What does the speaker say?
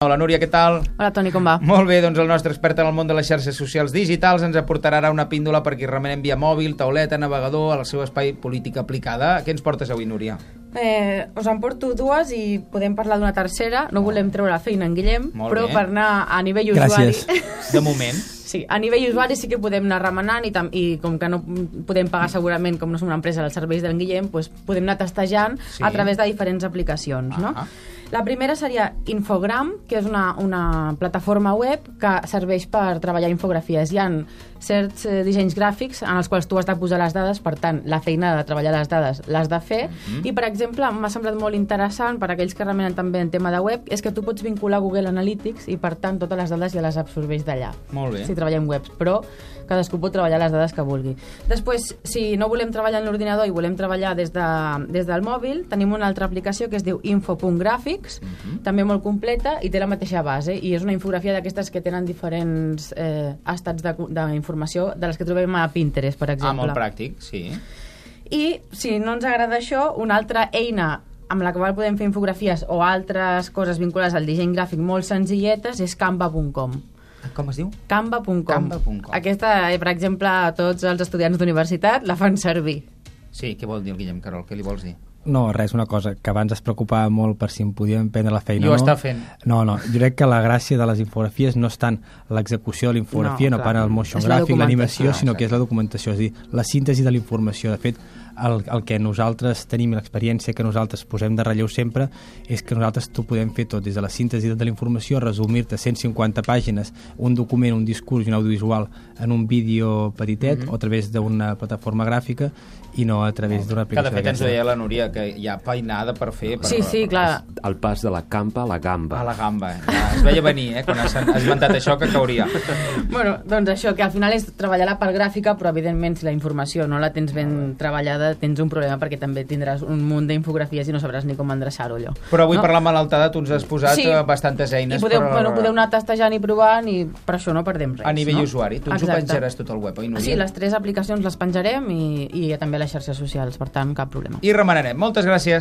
Hola Núria, què tal? Hola Toni, com va? Molt bé, doncs el nostre expert en el món de les xarxes socials digitals ens aportarà ara una píndola per qui remenem via mòbil, tauleta, navegador, al seu espai política aplicada. Què ens portes avui, Núria? Us en porto dues i podem parlar d'una tercera. No volem treure la feina en Guillem, Molt però bé. per anar a nivell usuari... De moment. Sí, a nivell usuari sí que podem anar remenant i com que no podem pagar segurament, com no som una empresa dels serveis d'en Guillem, doncs podem anar testejant a través de diferents aplicacions, no? La primera seria Infogram, que és una plataforma web que serveix per treballar infografies. Hi ha certs dissenys gràfics en els quals tu has de posar les dades, per tant, la feina de treballar les dades l'has de fer. I, per exemple, m'ha semblat molt interessant per aquells que remenen també en tema de web, és que tu pots vincular Google Analytics i, per tant, totes les dades ja les absorbeix d'allà. Molt bé. Si treballem webs, però cadascú pot treballar les dades que vulgui. Després, si no volem treballar en l'ordinador i volem treballar des del mòbil, tenim una altra aplicació que es diu info.gràfics, també molt completa i té la mateixa base, i és una infografia d'aquestes que tenen diferents estats d'informació de les que trobem a Pinterest, per exemple. Molt pràctic, sí. I si no ens agrada això, una altra eina amb la qual podem fer infografies o altres coses vinculades al disseny gràfic molt senzilletes és canva.com. Com es diu? Canva.com. Aquesta, per exemple, tots els estudiants d'universitat la fan servir. Sí, què vol dir el Guillem Carol? Què li vols dir? No, res, una cosa, que abans es preocupava molt per si em podíem prendre la feina I ho o no. està fent. No, jo crec que la gràcia de les infografies no és tant l'execució de la infografia, no tant el motion gràfic, l'animació, sinó que és la documentació, és a dir, la síntesi de la informació. De fet, el que nosaltres tenim, l'experiència que nosaltres posem de relleu sempre, és que nosaltres t'ho podem fer tot, des de la síntesi de la informació, resumir-te 150 pàgines, un document, un discurs i un audiovisual en un vídeo petitet o a través d'una plataforma gràfica i no a través d'una aplicació. Que de fet ens deia la Núria que hi ha feinada per fer. Sí, clar. El pas de la campa a la gamba. A la gamba. Ja, es veia venir, quan has esmentat això, que cauria. Bueno, doncs això, que al final és treballar la part gràfica, però evidentment si la informació no la tens ben treballada tens un problema, perquè també tindràs un munt d'infografies i no sabràs ni com endreçar-ho allò. Però avui per la malaltada tu ens has posat bastantes eines. I podeu anar testejant i provant i per això no perdem res. A nivell usuari. Tu ens ho penjaràs tot al web, oi, Núria? Sí, les 3 aplicacions les penjarem i també a les xarxes socials, per tant, cap problema. I remenarem. Moltes gràcies.